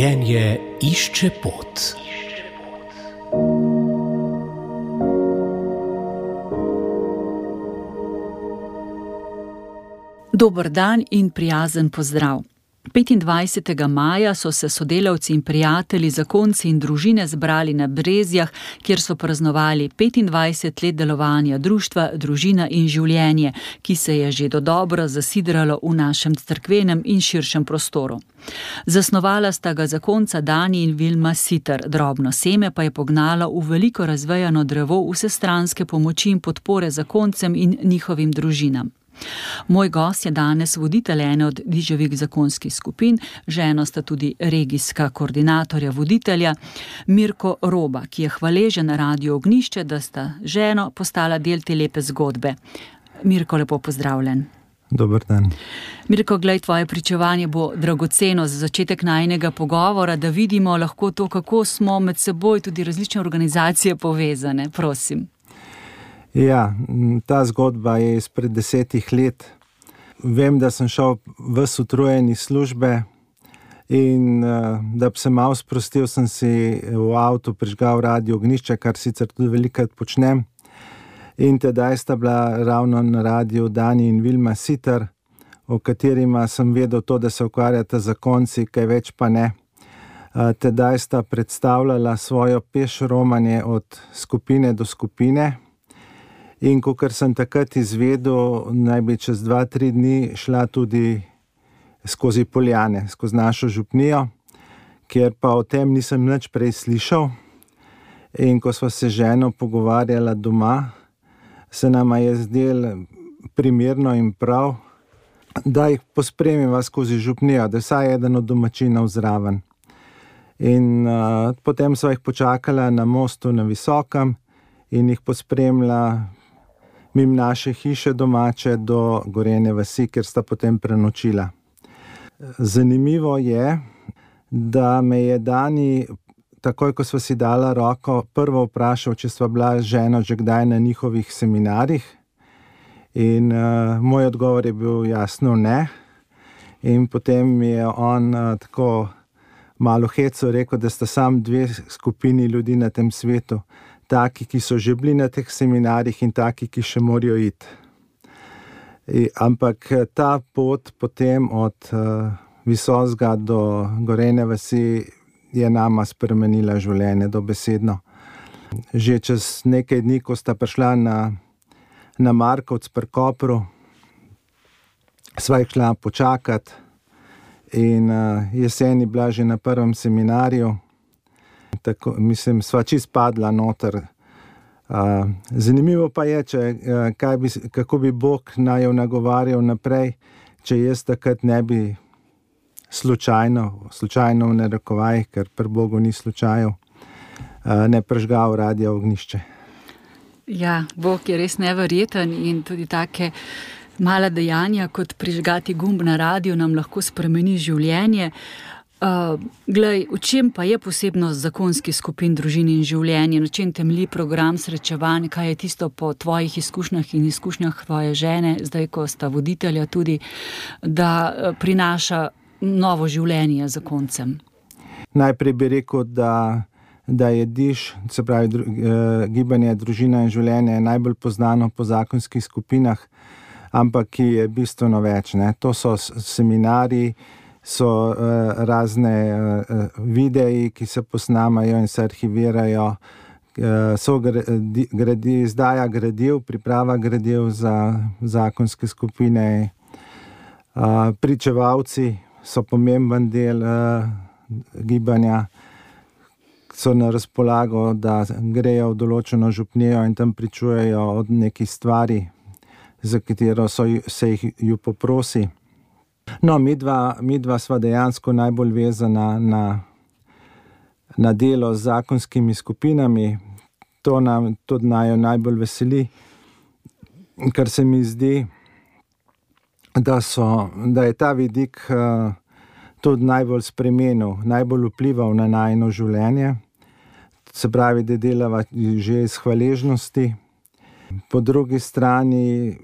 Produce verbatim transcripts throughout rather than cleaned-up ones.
Življenje išče pot. Dober dan in prijazen pozdrav. petindvajsetega maja so se sodelavci in prijatelji, zakonci in družine zbrali na Brezjah, kjer so praznovali petindvajset let delovanja društva Družina in življenje, ki se je že dodobra zasidralo v našem cerkvenem in širšem prostoru. Zasnovala sta ga zakonca Dani in Vilma Siter, drobno seme pa je pognala v veliko razvejano drevo vsestranske pomoči in podpore zakoncem in njihovim družinam. Moj gost je danes voditelj ene od Diževih zakonskih skupin, ženo sta tudi regijska koordinatorja voditelja Mirko Roba, ki je hvaležen Radiu Ognjišče, da sta ženo postala del te lepe zgodbe. Mirko, lepo pozdravljen. Dober dan. Mirko, glej, tvoje pričevanje bo dragoceno za začetek najinega pogovora, da vidimo lahko to, kako smo med seboj tudi različne organizacije povezane. Prosim. Ja, ta zgodba je izpred desetih let. Vem, da sem šel ves utrujen iz službe in da bi se malo sprostil, sem si v avtu prižgal Radio Ognjišče, kar sicer tudi velikokrat počnem. In tedaj sta bila ravno na radiju Dani in Vilma Siter, o katerima sem vedel to, da se ukvarjata zakonci, kaj več pa ne. Tedaj sta predstavljala svojo peš romanje od skupine do skupine. In kakor sem takrat izvedel, naj bi čez dva, tri dni šla tudi skozi Poljane, skozi našo župnijo, kjer pa o tem nisem nič prej slišal. In ko sva se ženo pogovarjala doma, se nama je zdelo primerno in prav, da jih pospremiva skozi župnijo, da vsaj eden od domačinov zraven. In uh, potem sva jih počakala na mostu na Visokem in jih pospremila mimo naše hiše domače do Gorenje vasi, kjer sta potem prenočila. Zanimivo je, da me je Dani, takoj ko sva si dala roko, prvo vprašal, če sva bila z ženo že kdaj na njihovih seminarjih. In uh, moj odgovor je bil jasno ne. In potem mi je on uh, tako malo heco rekel, da sta sam dve skupini ljudi na tem svetu. Taki, ki so že bili na teh seminarjih in taki, ki še morajo iti. I, ampak ta pot potem od uh, Visozga do Gorenje vasi je nama spremenila življenje dobesedno. Že čez nekaj dni, ko sta prišla na, na Markovec pri Kopru, sva jih šla počakat in uh, jeseni bila že na prvem seminarju. Tako, mislim, sva čist padla noter. Uh, zanimivo pa je, če, uh, kaj bi, kako bi Bog naju nagovarjal naprej, če jaz takrat ne bi slučajno, slučajno v narekovajih, ker pri Bogu ni slučajev, uh, ne prižgal Radia Ognjišče. Ja, Bog je res neverjeten in tudi take mala dejanja, kot prižgati gumb na radiju, nam lahko spremeni življenje. Uh, glej, v čem pa je posebnost zakonskih skupin Družin in življenje, na čem temelji program srečevanj, kaj je tisto po tvojih izkušnjah in izkušnjah tvoje žene, zdaj ko sta voditelja tudi, da prinaša novo življenje zakoncem? Najprej bi rekel, da, da je Diž, se pravi dru, eh, gibanje Družina in življenje, najbolj poznano po zakonskih skupinah, ampak ki je bistveno več, ne. To so seminarji, so uh, razne uh, videi, ki se posnamajo in se arhivirajo, uh, so gradi, gradi, izdaja gradiv, priprava gradiv za zakonske skupine. Uh, pričevalci so pomemben del uh, gibanja, so na razpolago, da grejo v določeno župnijo in tam pričujejo od nekih stvari, za katero so, se jih ju poprosi. No, midva, midva sva dejansko najbolj vezana na, na delo z zakonskimi skupinami. To nam tudi najo najbolj veseli, ker se mi zdi, da, so, da je ta vidik uh, tudi najbolj spremenil, najbolj vplival na najino življenje. Se pravi, da delava že iz hvaležnosti. Po drugi strani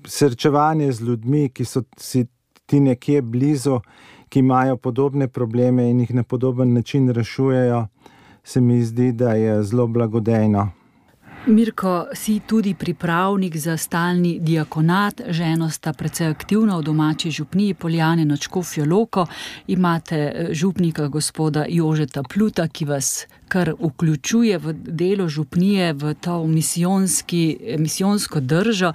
srečevanje z ljudmi, ki so si ti nekje blizu, ki imajo podobne probleme in jih na podoben način rešujejo, se mi zdi, da je zelo blagodejno. Mirko, si tudi pripravnik za stalni diakonat, ženo sta precej aktivna v domači župniji Poljane nad Škofjo Loko, imate župnika gospoda Jožeta Pluta, ki vas kar vključuje v delo župnije, v to misijonski, misijonsko držo.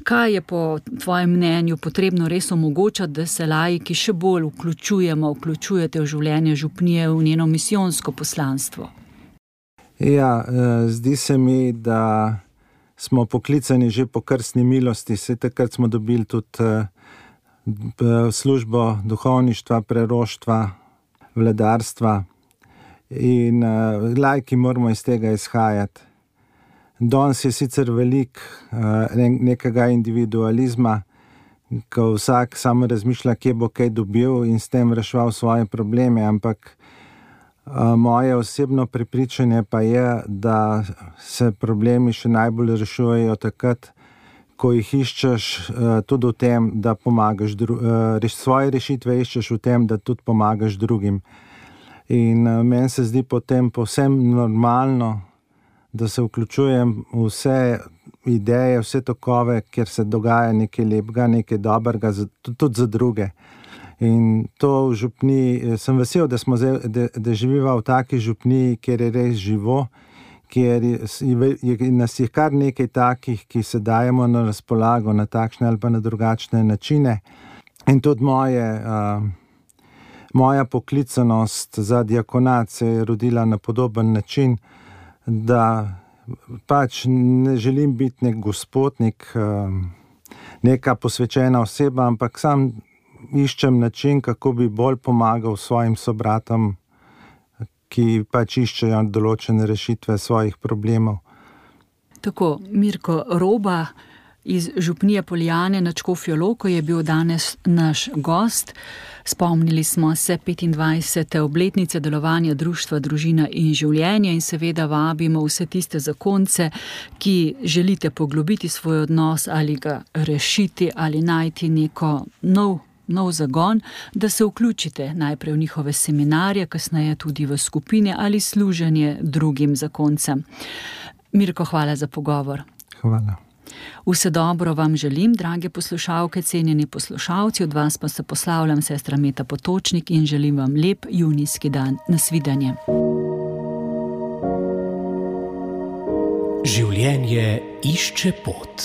Kaj je po tvojem mnenju potrebno res omogočati, da se laiki še bolj vključujemo, vključujete v življenje župnije, v njeno misijonsko poslanstvo? Ja, zdi se mi, da smo poklicani že po krstni milosti. Vse takrat smo dobili tudi službo duhovništva, preroštva, vladarstva in laiki moramo iz tega izhajati. Danes je sicer veliko nekega individualizma, ko vsak samo razmišlja, kje bo kaj dobil in s tem reševal svoje probleme, ampak moje osebno prepričanje pa je, da se problemi še najbolj rešujejo takrat, ko jih iščeš tudi v tem, da pomagaš, svoje rešitve iščeš v tem, da tudi pomagaš drugim. In meni se zdi potem povsem normalno, da se vključujem v vse ideje, vse tokove, kjer se dogaja nekaj lepega, nekaj dobrega, tudi za druge. In to v župniji, sem vesel, da, smo, da, da živiva v taki župniji, kjer je res živo, kjer je, je, nas je kar nekaj takih, ki se dajemo na razpolago na takšne ali pa na drugačne načine. In tudi moje, uh, moja poklicanost za diakonat se je rodila na podoben način, da pač ne želim biti nek gospodnik, uh, neka posvečena oseba, ampak sam iščem način, kako bi bolj pomagal svojim sobratom, ki pač iščejo določene rešitve svojih problemov. Tako, Mirko Roba iz župnije Poljane nad Škofjo Loko je bil danes naš gost. Spomnili smo se petindvajsete obletnice delovanja Društva Družina in življenje in seveda vabimo vse tiste zakonce, ki želite poglobiti svoj odnos ali ga rešiti ali najti neko nov nov zagon, da se vključite najprej v njihove seminarje, kasneje tudi v skupine ali služenje drugim zakoncem. Mirko, hvala za pogovor. Hvala. Vse dobro vam želim, drage poslušalke, cenjeni poslušalci, od vas pa se poslavljam sestra Meta Potočnik in želim vam lep junijski dan. Nasvidenje. Življenje išče pot.